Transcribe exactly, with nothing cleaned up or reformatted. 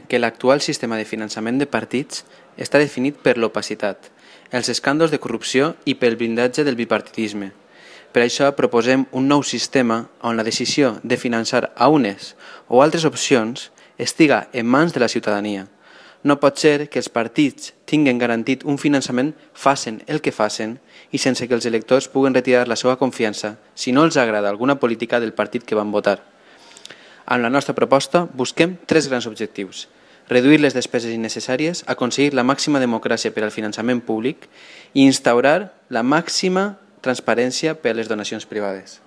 que l'actual sistema de finançament de partits està definit per l'opacitat, els escàndols de corrupció i pel blindatge del bipartidisme. Per això proposem un nou sistema on la decisió de finançar a unes o altres opcions estiga en mans de la ciutadania. No pot ser que els partits tinguin garantit un finançament facin el que facin i sense que els electors puguen retirar la seva confiança si no els agrada alguna política del partit que van votar. Amb la nostra proposta busquem tres grans objectius: reduir les despeses innecessàries, aconseguir la màxima democràcia per al finançament públic i instaurar la màxima transparència per a les donacions privades.